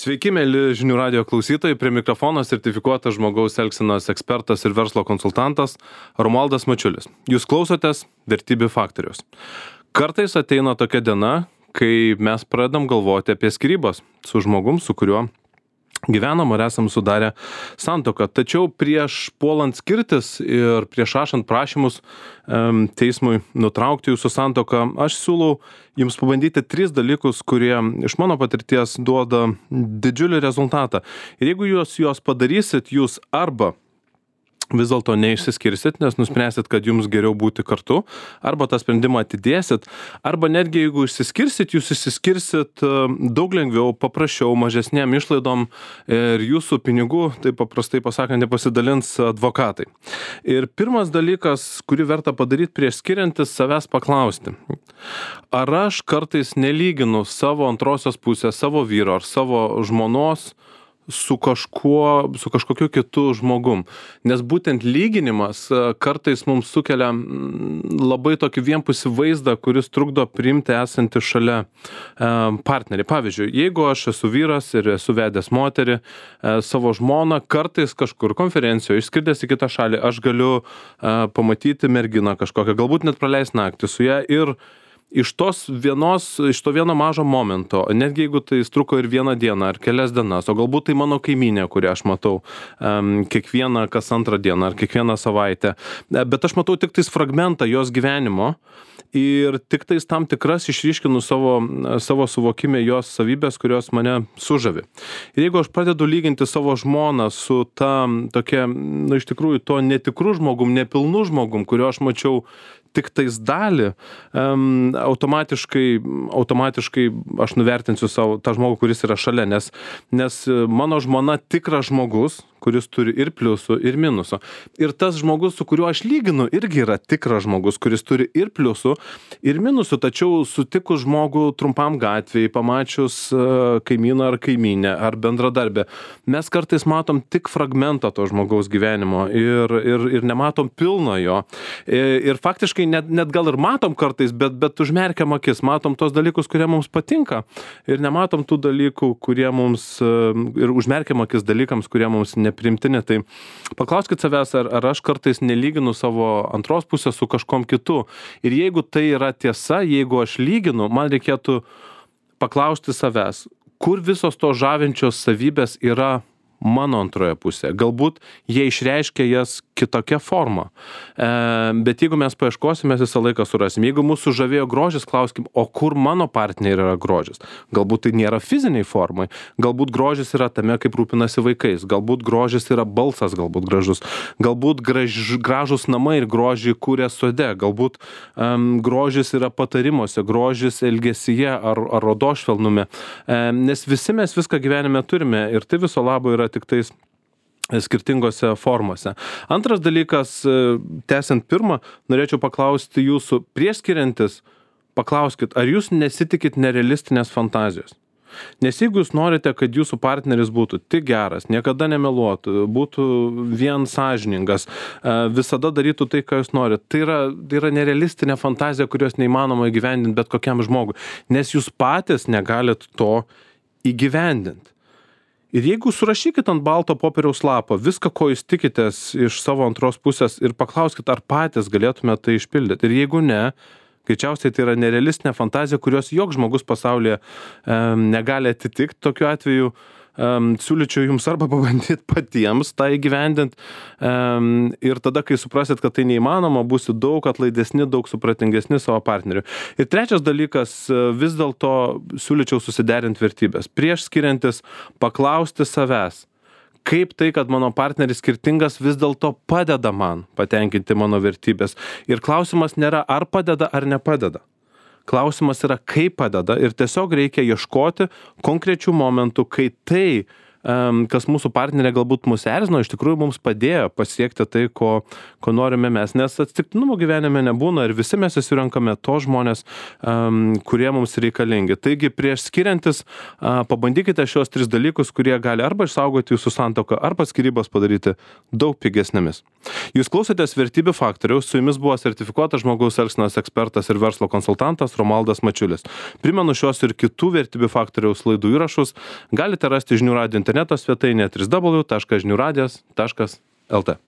Sveiki, mėly žinių radio klausytojai, prie mikrofono sertifikuotas žmogaus elgsenos ekspertas ir verslo konsultantas Romualdas Mačiulis. Jūs klausotės Vertybių faktoriaus. Kartais ateina tokia diena, kai mes pradedam galvoti apie skyrybas su žmogum, su kuriuo gyvenam ar esam sudarę santuoką. Tačiau prieš puolant skirtis ir prieš rašant prašymus teismui nutraukti jūsų santuoką, aš siūlau jums pabandyti 3 dalykus, kurie iš mano patirties duoda didžiulį rezultatą. Ir jeigu jūs juos padarysit, jūs arba vis dėlto neišsiskirsit, nes nuspręsit, kad jums geriau būti kartu, arba tą sprendimą atidėsit, arba netgi jeigu išsiskirsit, jūs išsiskirsit daug lengviau, paprasčiau, mažesnėm išlaidom ir jūsų pinigų, taip paprastai pasakant, nepasidalins advokatai. Ir pirmas dalykas, kurį verta padaryti prieš skiriantis, savęs paklausti. Ar aš kartais nelyginu savo antrosios pusės, savo vyro ar savo žmonos su kažkokiu kitu žmogum. Nes būtent lyginimas kartais mums sukelia labai tokį vienpusį vaizdą, kuris trukdo priimti esantį šalia partnerį. Pavyzdžiui, jeigu aš esu vyras ir esu vedęs moterį, savo žmoną, kartais kažkur konferencijoje, išskridęs į kitą šalį, aš galiu pamatyti merginą kažkokią, galbūt net praleisti naktį su ją ir iš to vieno mažo momento, netgi jeigu tai truko ir 1 dieną ar kelias dienas, o galbūt tai mano kaimynė, kurią aš matau kiekvieną kas antrą dieną ar kiekvieną savaitę, bet aš matau tik tais fragmentą jos gyvenimo ir tik tais tam tikras išryškinu savo suvokime jos savybės, kurios mane sužavi. Ir jeigu aš pradedu lyginti savo žmoną su ta tokia, iš tikrųjų, to netikru žmogum, nepilnu žmogum, kurio aš mačiau tik tais dalį, automatiškai aš nuvertinsiu tą žmogų, kuris yra šalia, nes mano žmona tikras žmogus, kuris turi ir pliusų, ir minusų. Ir tas žmogus, su kuriuo aš lyginu, irgi yra tikras žmogus, kuris turi ir pliusų, ir minusų, tačiau sutikus žmogų trumpam gatvėje, pamačius kaimyną ar kaimynę, ar bendradarbę, mes kartais matom tik fragmentą to žmogaus gyvenimo ir nematom pilno jo. Ir faktiškai net gal ir matom kartais, bet užmerkiam akis, matom tos dalykus, kurie mums patinka ir nematom tų dalykų, kurie mums, ir užmerkiam akis dalykams, kurie mums neprimtini. Tai paklauskit savęs, ar aš kartais nelyginu savo antros pusės su kažkom kitu. Ir jeigu tai yra tiesa, jeigu aš lyginu, man reikėtų paklausti savęs, kur visos to žavinčios savybės yra mano antroje pusėje. Galbūt jie išreiškia jas kitokia forma. Bet jeigu mes paieškosim, mes visą laiką surasim. Jeigu mūsų žavėjo grožis, klauskim, o kur mano partneriai yra grožis? Galbūt tai nėra fiziniai formai. Galbūt grožis yra tame, kaip rūpinasi vaikais. Galbūt grožis yra balsas, galbūt gražus. Galbūt gražus namai ir grožį kūrė sode. Galbūt grožis yra patarimuose, grožis elgesyje ar odos švelnume. Nes visi mes viską gyvenime turime ir tai viso labo yra tik tais skirtingose formose. Antras dalykas, tęsiant pirmą, norėčiau paklausti jūsų, prieš skiriantis, paklauskit, ar jūs nesitikit nerealistinės fantazijos? Nes jeigu jūs norite, kad jūsų partneris būtų tik geras, niekada nemeluotų, būtų vien sąžiningas, visada darytų tai, ką jūs norite, tai yra nerealistinė fantazija, kurios neįmanoma įgyvendinti bet kokiam žmogui, nes jūs patys negalit to įgyvendinti. Ir jeigu surašykit ant balto popieriaus lapo viską, ko jūs tikitės iš savo antros pusės ir paklauskit, ar patys galėtume tai išpildyti. Ir jeigu ne, greičiausiai tai yra nerealistinė fantazija, kurios joks žmogus pasaulyje negali atitikti. Tokiu atveju siūlyčiau jums arba pabandyti patiems tą įgyvendinti ir tada, kai suprasit, kad tai neįmanoma, būsit daug atlaidesni, daug supratingesni savo partneriui. Ir trečias dalykas, vis dėlto siūlyčiau susiderinti vertybės. Prieš skiriantis paklausti savęs, kaip tai, kad mano partneris skirtingas, vis dėlto padeda man patenkinti mano vertybės. Ir klausimas nėra, ar padeda, ar nepadeda. Klausimas yra, kaip padeda ir tiesiog reikia ieškoti konkrečių momentų, kai tai, kas mūsų partnerė galbūt mus erzino, iš tikrųjų mums padėjo pasiekti tai, ko norime mes, nes atsitiktinumo gyvenime nebūna ir visi mes susirenkame to žmonės, kurie mums reikalingi. Taigi prieš skiriantis pabandykite šios 3 dalykus, kurie gali arba išsaugoti jūsų santuoką, arba skyrybas padaryti daug pigesnėmis. Jūs klausotės Vertybių faktoriaus, su jumis buvo sertifikuotas žmogaus elgsenos ekspertas ir verslo konsultantas Romualdas Mačiulis. Primenu šios ir kitų Vertybių faktoriaus laidų įrašus galite rasti Žinių radijo interneto svetainėje www.žiniuradijas.lt.